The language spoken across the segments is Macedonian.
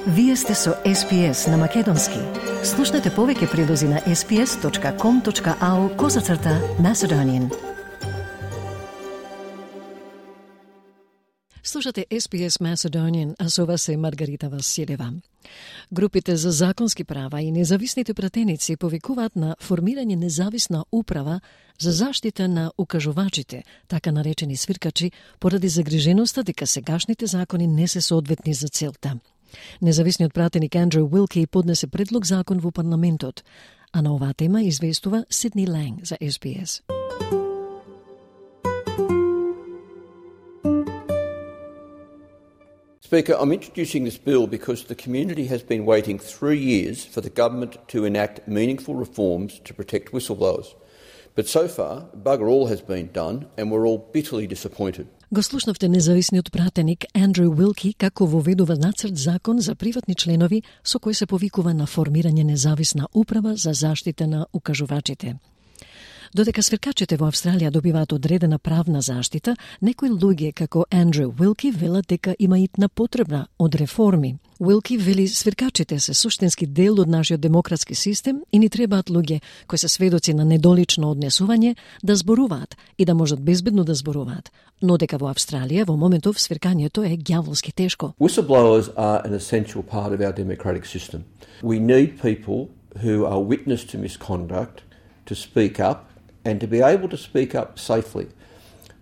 Вие сте со SPS на Македонски. Слушнете повеќе прилози на sps.com.au/Macedonian. Слушате SPS Macedonian, а со вас е Маргарита Василева. Групите за законски права и независните пратеници повикуваат на формирање независна управа за заштита на укажувачите, така наречени свиркачи, поради загриженоста дека сегашните закони не се соодветни за целта. Независниот пратеник Андрю Уилки поднесе предлог закон во парламентот, а на оваа тема известува Сидни Ланг за SBS. Speaker, I'm introducing this bill because the community has been waiting 3 years for the government to enact meaningful reforms to protect whistleblowers. But so far, bugger all has been done and we're all bitterly disappointed. Го слушнавте независниот пратеник Андрю Уилки како воведува нацрт закон за приватни членови со кој се повикува на формирање независна управа за заштита на укажувачите. Додека свиркачите во Австралија добиваат одредена правна заштита, некои луѓе како Андрю Уилки велат дека има итна потребна од реформи. Уилки вели свиркачите се суштински дел од нашиот демократски систем и ни требаат луѓе кои се сведоци на недолично однесување да зборуваат и да можат безбедно да зборуваат. Но дека во Австралија во моментов свиркањето е ѓаволски тешко. Whistleblowers are an essential part of our democratic system. We need people who are witness to misconduct to speak up and to be able to speak up safely.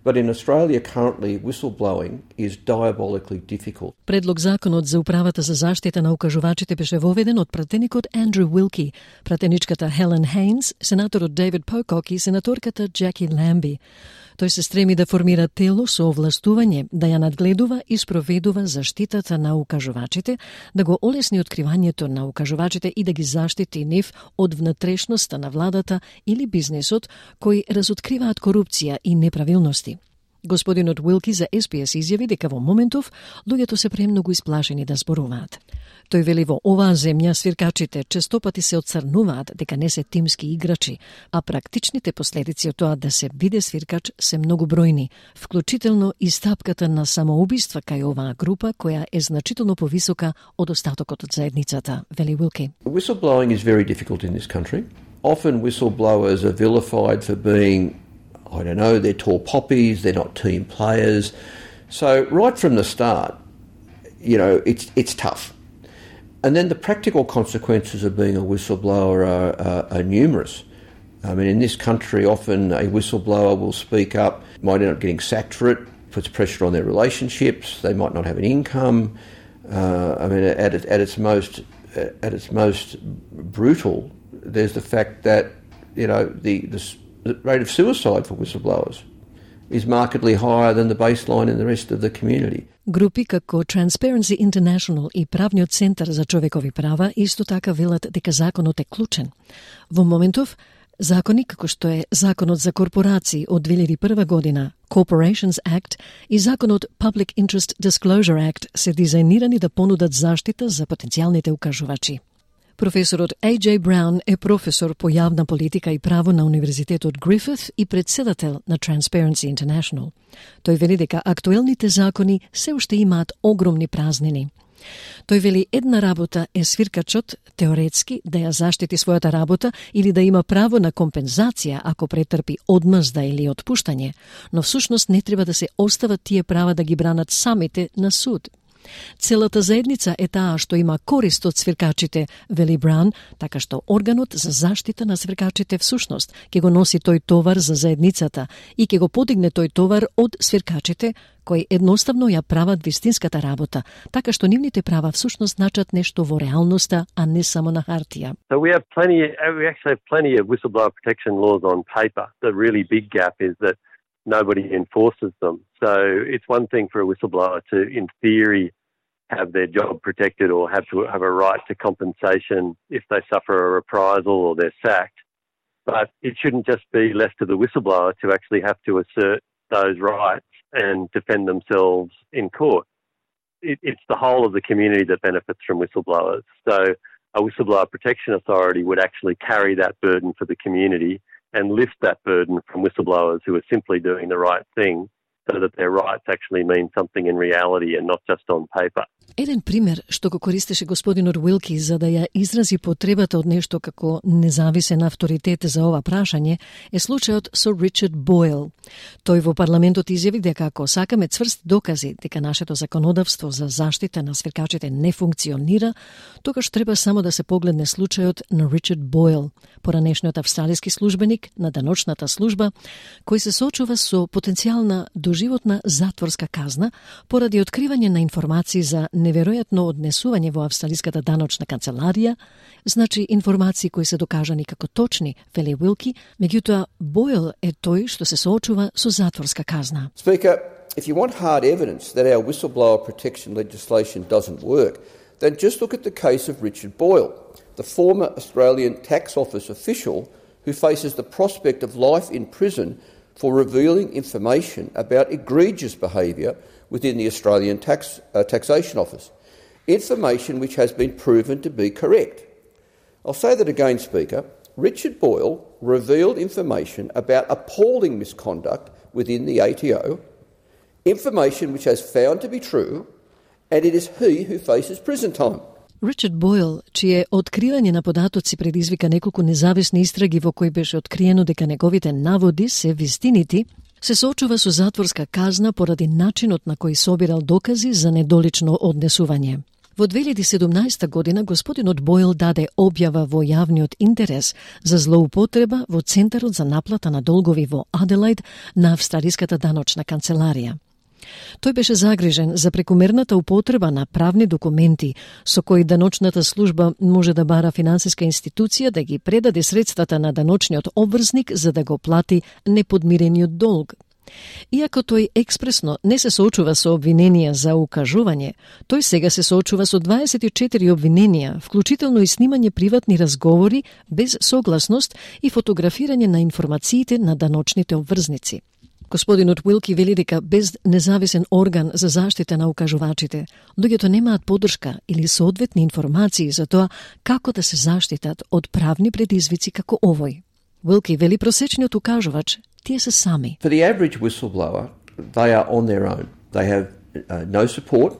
But in Australia currently, whistleblowing is diabolically difficult. Предлог законот за управата за заштита на укажувачите беше воведен од пратеникот Андрю Уилки, пратеничката Хелен Хейнс, сенаторот Дейвид Покок и сенаторката Джаки Ламби. Тој се стреми да формира тело со овластување да ја надгледува и спроведува заштитата на укажувачите, да го олесни откривањето на укажувачите и да ги заштити нив од внатрешноста на владата или бизнисот кои разоткриваат корупција и неправилности. Господинот Уилки за SPS изјави дека во моментов луѓето се премногу исплашени да зборуваат. Тој вели во оваа земја свиркачите честопати се отцрнуваат дека не се тимски играчи, а практичните последици од тоа да се биде свиркач се многу бројни, вклучително и стапката на самоубиства кај оваа група која е значително повисока од остатокот од заедницата, вели Уилки. Whistleblowing is very difficult in this country. Often whistleblowers are vilified for being, I don't know, they're tall poppies, they're not team players. So right from the start, you know, it's tough. And then the practical consequences of being a whistleblower are numerous. I mean, in this country, often a whistleblower will speak up, might end up getting sacked for it, puts pressure on their relationships, they might not have an income. I mean, at its most brutal, there's the fact that, you know, the rate of suicide for whistleblowers is markedly higher than the baseline in the rest of the community. Групи како Transparency International и Правниот центар за човекови права исто така велат дека законот е клучен. Во моментов, закони како што е Законот за корпорации од 2001 година, Corporations Act и Законот Public Interest Disclosure Act се дизајнирани да понудат заштита за потенцијалните укажувачи. Професорот A.J. Brown е професор по јавна политика и право на Универзитетот Грифит и председател на Transparency International. Тој вели дека актуелните закони се уште имаат огромни празнини. Тој вели една работа е свиркачот теоретски да ја заштити својата работа или да има право на компензација ако претрпи одмазда или отпуштање, но всушност не треба да се остават тие права да ги бранат самите на суд. Целата заедница е таа што има корист од свиркачите, вели Браун, така што органот за заштита на свиркачите всушност ќе го носи тој товар за заедницата и ќе го подигне тој товар од свиркачите кои едноставно ја прават вистинската работа, така што нивните права всушност значат нешто во реалноста, а не само на хартија. So we actually have plenty of whistleblower protection laws on paper. The really big gap is that nobody enforces them. So it's one thing for a whistleblower to, in theory, have their job protected or have a right to compensation if they suffer a reprisal or they're sacked. But it shouldn't just be left to the whistleblower to actually have to assert those rights and defend themselves in court. It's the whole of the community that benefits from whistleblowers. So a whistleblower protection authority would actually carry that burden for the community and lift that burden from whistleblowers who are simply doing the right thing so that their rights actually mean something in reality and not just on paper. Еден пример што го користеше господинот Уилки за да ја изрази потребата од нешто како независен авторитет за ова прашање е случајот со Ричард Бойл. Тој во парламентот изјави дека ако сакаме цврсти докази дека нашето законодавство за заштита на свиркачите не функционира, тогаш треба само да се погледне случајот на Ричард Бойл, поранешниот австралиски службеник на даночната служба, кој се соочува со потенцијална доживотна затворска казна поради откривање на информации за неверојатно однесување во австралиската даночна канцеларија, значи информации кои се докажани како точни, вели Уилки, меѓутоа Бойл е тој што се соочува со затворска казна. Speaker, if you want hard evidence that our whistleblower protection legislation doesn't work, then just look at the case of Richard Boyle, the former Australian Tax Office official who faces the prospect of life in prison for revealing information about egregious behaviour within the Australian Taxation Office, information which has been proven to be correct. I'll say that again, Speaker. Richard Boyle revealed information about appalling misconduct within the ATO, information which has found to be true, and it is he who faces prison time. Ричард Бойл, чие откривање на податоци предизвика неколку независни истраги во кои беше откриено дека неговите наводи се вистинити, се соочува со затворска казна поради начинот на кој собирал докази за недолично однесување. Во 2017 година господинот Бойл даде објава во јавниот интерес за злоупотреба во Центарот за наплата на долгови во Аделајд на австралиската даночна канцеларија. Тој беше загрижен за прекумерната употреба на правни документи со кои даночната служба може да бара финансиска институција да ги предаде средствата на даночниот обврзник за да го плати неподмирениот долг. Иако тој експресно не се соочува со обвиненија за укажување, тој сега се соочува со 24 обвиненија, вклучително и снимање приватни разговори без согласност и фотографирање на информациите на даночните обврзници. Господинот Уилки вели дека без независен орган за заштита на укажувачите, луѓето немаат подршка или соодветни информации за тоа како да се заштитат од правни предизвици како овој. Уилки вели просечниот укажувач тие се сами. For the average whistleblower, they are on their own. They have no support,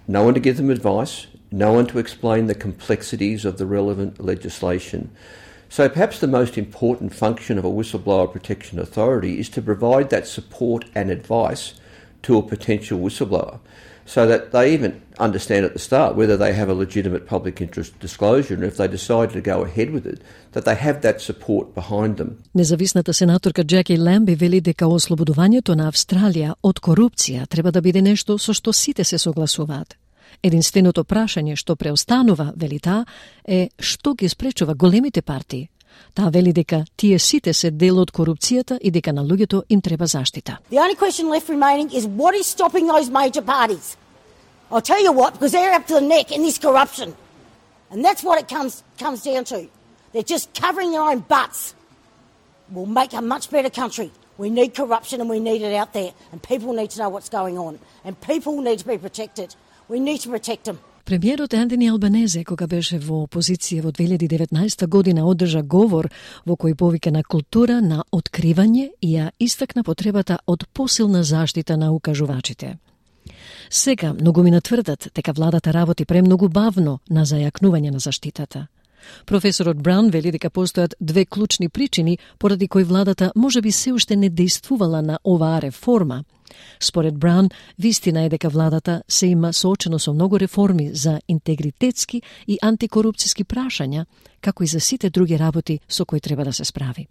no one to give them advice, no one to explain the complexities of the relevant legislation. So perhaps the most important function of a whistleblower protection authority is to provide that support and advice to a potential whistleblower so that they even understand at the start whether they have a legitimate public interest disclosure, and if they decide to go ahead with it, that they have that support behind them. Независната сенаторка Джеки Ламби вели дека ослободувањето на Австралија од корупција треба да биде нешто со што сите се согласуваат. Единственото прашање што преостанува, вели таа, е што ги спречува големите партии. Таа вели дека тие сите се дел од корупцијата и дека на луѓето им треба заштита. The only question left remaining is what is stopping those major parties? I'll tell you what, because they're up to the neck in this corruption. And that's what it comes down to. They're just covering their own butts. We'll make a much better country. We need corruption and we need it out there. And people need to know what's going on. And people need to be protected. We need to protect them. Премиерот Антони Албанезе, кога беше во опозиција во 2019 година, одржа говор во кој повика на култура на откривање и ја истакна потребата од посилна заштита на укажувачите. Сега многумина тврдат дека владата работи премногу бавно на зајакнување на заштитата. Професорот Браун вели дека постојат две клучни причини поради кои владата можеби се уште не действувала на оваа реформа. Според Браун, вистина е дека владата се има соочено со многу реформи за интегритетски и антикорупцијски прашања, како и за сите други работи со кои треба да се справи.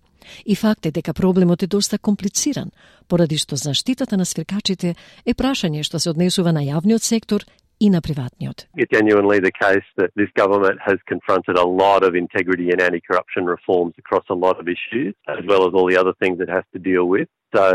И факт е дека проблемот е доста комплициран, поради што заштитата на свиркачите е прашање што се однесува на јавниот сектор и на приватниот. It's genuinely the case that this government has confronted a lot of integrity and anti-corruption reforms across a lot of issues, as well as all the other things it has to deal with. So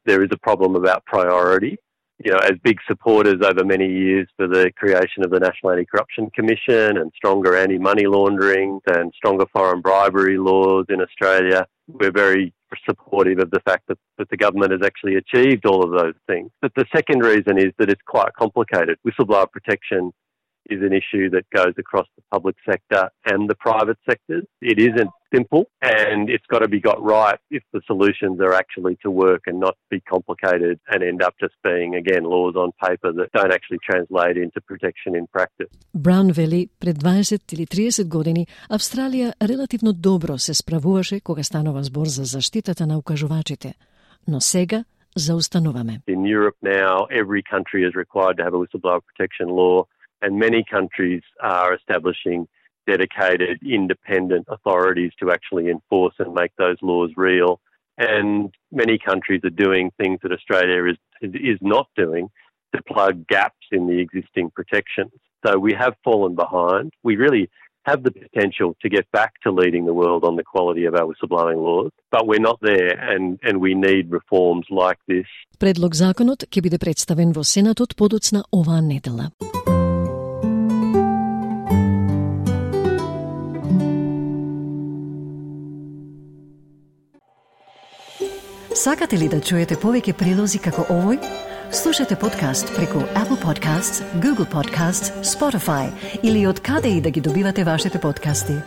there is a problem about priority. You know, as big supporters over many years for the creation of the National Anti-Corruption Commission and stronger anti-money laundering and stronger foreign bribery laws in Australia, we're very supportive of the fact that the government has actually achieved all of those things. But the second reason is that it's quite complicated. Whistleblower protection is an issue that goes across the public sector and the private sectors. It isn't simple, and it's got to be got right if the solutions are actually to work and not be complicated and end up just being, again, laws on paper that don't actually translate into protection in practice. Браун вели, пред 20 или 30 години Австралија релативно добро се справуваше кога станува збор за заштитата на укажувачите, но сега заустануваме. In Europe now, every country is required to have a whistleblower protection law, and many countries are establishing dedicated independent authorities to actually enforce and make those laws real. And many countries are doing things that Australia is not doing to plug gaps in the existing protections. So we have fallen behind. We really have the potential to get back to leading the world on the quality of our whistleblowing laws, but we're not there, and we need reforms like this. Предлог законот ќе биде представен во Сенатот подоцна оваа недела. Сакате ли да чуете повеќе прилози како овој? Слушате подкаст преку Apple Podcasts, Google Podcasts, Spotify или од каде и да ги добивате вашите подкасти.